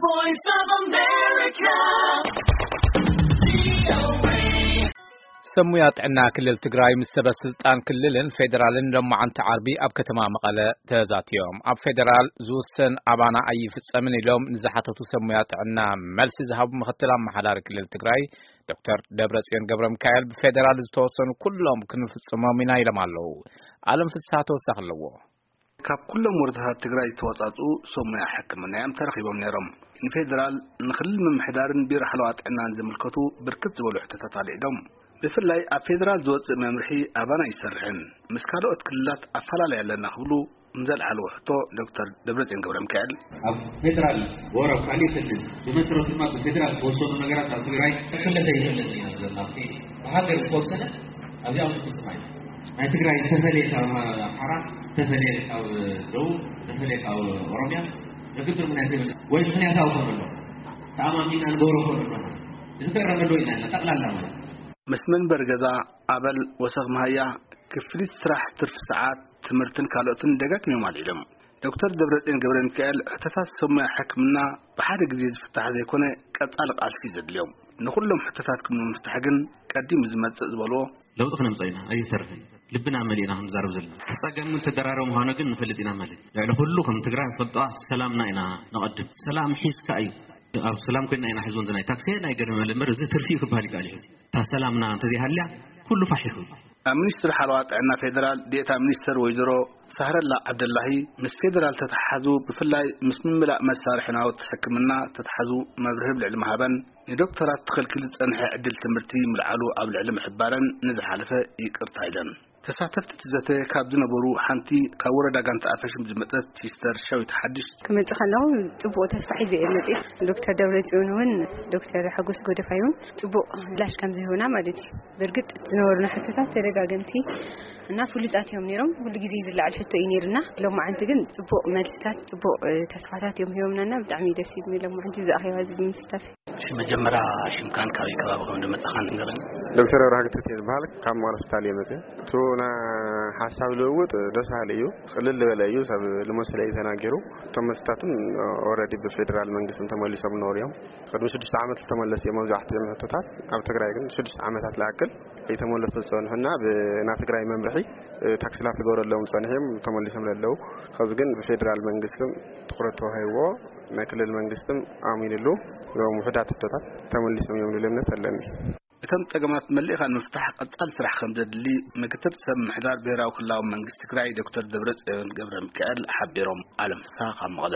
Voice of America. ሰሙያ ጥዕና ክልል ትግራይ ምስ ሰበ ስልጣን ክልልን ፌዴራልን ሎማዓንቲ ዓርቢ ኣብ ከተማ መቐለ ተዛትዮም። ኣብ ፌዴራል ዝውሰን ኣባና ኣይፍጸምን ኢሎም ንዝሓተቱ ሰሙያ ጥዕና መልሲ ዝሃቡ ምክትል ኣመሓዳሪ ክልል ትግራይ ዶክተር ደብረጽዮን ገብረ ሚካኤል፣ ብፌዴራል ዝተወሰኑ ኩሎም ክንፍጽሞም ኢና ኢሎም ኣለዉ። ኣለም ፍስሓ ተወሳኺ ኣለዎ። ካብ ኩሎም ወረዳታት ትግራይ ዝተወጻጹ ሰሙያ ሕክምና እዮም ተረኺቦም ነይሮም። ንፌዴራል፣ ንክልል ምምሕዳርን ቢሮ ሓለዋ ጥዕናን ዝምልከቱ ብርክት ዝበሉ ሕቶታት ኣልዒሎም። ብፍላይ ኣብ ፌዴራል ዝወጽእ መምርሒ ኣባና ይሰርሕን ምስ ካልኦት ክልላት ኣፈላለይ ኣለና ክብሉ ንዘልዓልዎ ሕቶ ዶክተር ደብረጽዮን ገብረ ሚካኤል፣ ኣብ ፌዴራል ወረ ኣብ ካሊእ ክልል ብመሰረት ድማ ብፌዴራል ዝተወሰኑ ነገራት ኣብ ትግራይ ክፍለሰ ይኽእል እዩ። ኣብቲ ብሃገር ዝተወሰነ ኣብዚኣ ውስጥ ስማይ ናይ ትግራይ ተፈለየ ካብ ኣምሓራ፣ ተፈለየ ካብ ደቡብ፣ ተፈለየ ካብ ኦሮሚያ ዘግድር ምክንያት የብልን። ወይ ምክንያታዊ ኮነ ኣሎ፣ ተኣማሚና ንገብሮ ኮነ ኣሎ ማለት እዚ ክእረመሉ ኢና ጠቕላላ ማለት። ምስ መንበሪ ገዛ፣ ኣበል፣ ወሰኽ መሃያ፣ ክፍሊት ስራሕ፣ ትርፊ ሰዓት፣ ትምህርትን ካልኦትን ደጋጊሞም ኣልዒሎም። ዶክተር ደብረጽዮን ገብረ ሚካኤል፣ ሕቶታት ሰሙያ ሕክምና ብሓደ ግዜ ዝፍታሕ ዘይኮነ ቀጻሊ ቃልሲ ዘድልዮም። ንኹሎም ሕቶታት ንምፍታሕ ግን ቀዲሙ ዝመጽእ ዝበልዎ ለውጢ ክነምጽእ ኢና፣ ኣይንተርፍን። ልብና መሊእና ክንዛረብ ዘለና። እቲ ጸገም ግን ተደራረቡ ምዃኑ ግን ንፈልጥ ኢና ማለት እዩ። ልዕሊ ኩሉ ከም ትግራይ ንፈልጦ ሰላምና ኢና ነቐድም። ሰላም ሒዝካ እዩ። ኣብ ሰላም ኮይና ኢና ሕዚ እውን ናይ ታክሲ ናይ ገርመ እምበር እዚ ትርፊ እዩ ክበሃል ይከኣል እዩ። ሕዚ እታ ሰላምና እንተዘይሃልያ ኩሉ ፋሕ ይኽእል። ኣብ ሚኒስትሪ ሓለዋ ጥዕና ፌዴራል ዴኤታ ሚኒስትር ወይዘሮ ሳህረላ ዓብደላሂ፣ ምስ ፌዴራል ተተሓዙ፣ ብፍላይ ምስ ምምላእ መሳርሒ ናውቲ ሕክምና ተተሓዙ መብርሂ ኣብ ልዕሊ ምሃበን፣ ንዶክተራት ተኸልኪሉ ዝጸንሐ ዕድል ትምህርቲ ምልዓሉ ኣብ ልዕሊ ምሕባረን ንዝሓለፈ ይቅርታ ኢለን። ተሳተፍቲ እቲ ዘተ ካብ ዝነበሩ ሓንቲ ካብ ወረዳ ጋንታ ኣፈሽም ዝመጸት ሲስተር ሻዊት ሓድሽ፣ ክመጽእ ከለኹ ጽቡቕ ተስፋ ሒዘ እየ መጽእ። ዶክተር ደብረጽዮን እውን ዶክተር ሓጎስ ጎደፋይ እውን ጽቡቕ ምላሽ ከም ዝህቡና ማለት እዩ። ብርግጥ ዝነበሩና ሕቶታት ተደጋገምቲ እና ፍሉጣት እዮም ነይሮም። ኩሉ ግዜ ዝለዓል ሕቶ እዩ ነይሩና። ሎማዓንቲ ግን ጽቡቕ መልስታት፣ ጽቡቕ፣ እ፣ ተስፋታት እዮም ሂቦምናና። ብጣዕሚ ደስ ይብኒ ሎማዓንቲ እዚ ኣኼባ እዚ ብምስታፍ። እሺ፣ መጀመርያ ሽምካን ካበይ ከባቢ ከም ዝመጻኻን ንገረኒ። ዶክተር ኣብርሃ ገብረትንሳኤ ዝበሃል ካብ መቐለ ሆስፒታል እየ መጽእ። እቲ ናይ ሓሳብ ልውውጥ ደስ በሃሊ እዩ፣ ቅልል ዝበለ እዩ፣ ሰብ ልመስሎ እዩ ተናጊሩ። እቶም መስተታትን ኦልሬዲ ብፌዴራል መንግስትን ተመሊሶም ነበሩ እዮም። ቅድሚ ሽዱሽተ ዓመት ዝተመለሱ እዮም መብዛሕትኦም ሕቶታት። ኣብ ትግራይ ግን ሽዱሽተ ዓመታት ዝኣክል ከይተመለሱ ዝጸንሑና ብና ትግራይ መምርሒ ታክሲ ላፍ ዝገበረሎም ዝጸንሑ እዮም ተመሊሶም ዘለዉ። ከዚ ግን ብፌዴራል መንግስትን ትኹረት ተዋሂብዎ ናይ ክልል መንግስትን ኣሚንሉ እዮም ውሑዳት ሕቶታት ተመሊሶም እዮም ዝብል እምነት ኣለኒ። እቶም ጸገማት መሊእኻ ንምፍታሕ ቀጻሊ ስራሕ ከም ዘድሊ ምክትል ሰብ ምሕዳር ብሄራዊ ክልላዊ መንግስቲ ትግራይ ዶክተር ደብረጽዮን ገብረ ሚካኤል ሓቢሮም። ኣለም ፍስሃ ካብ መቐለ።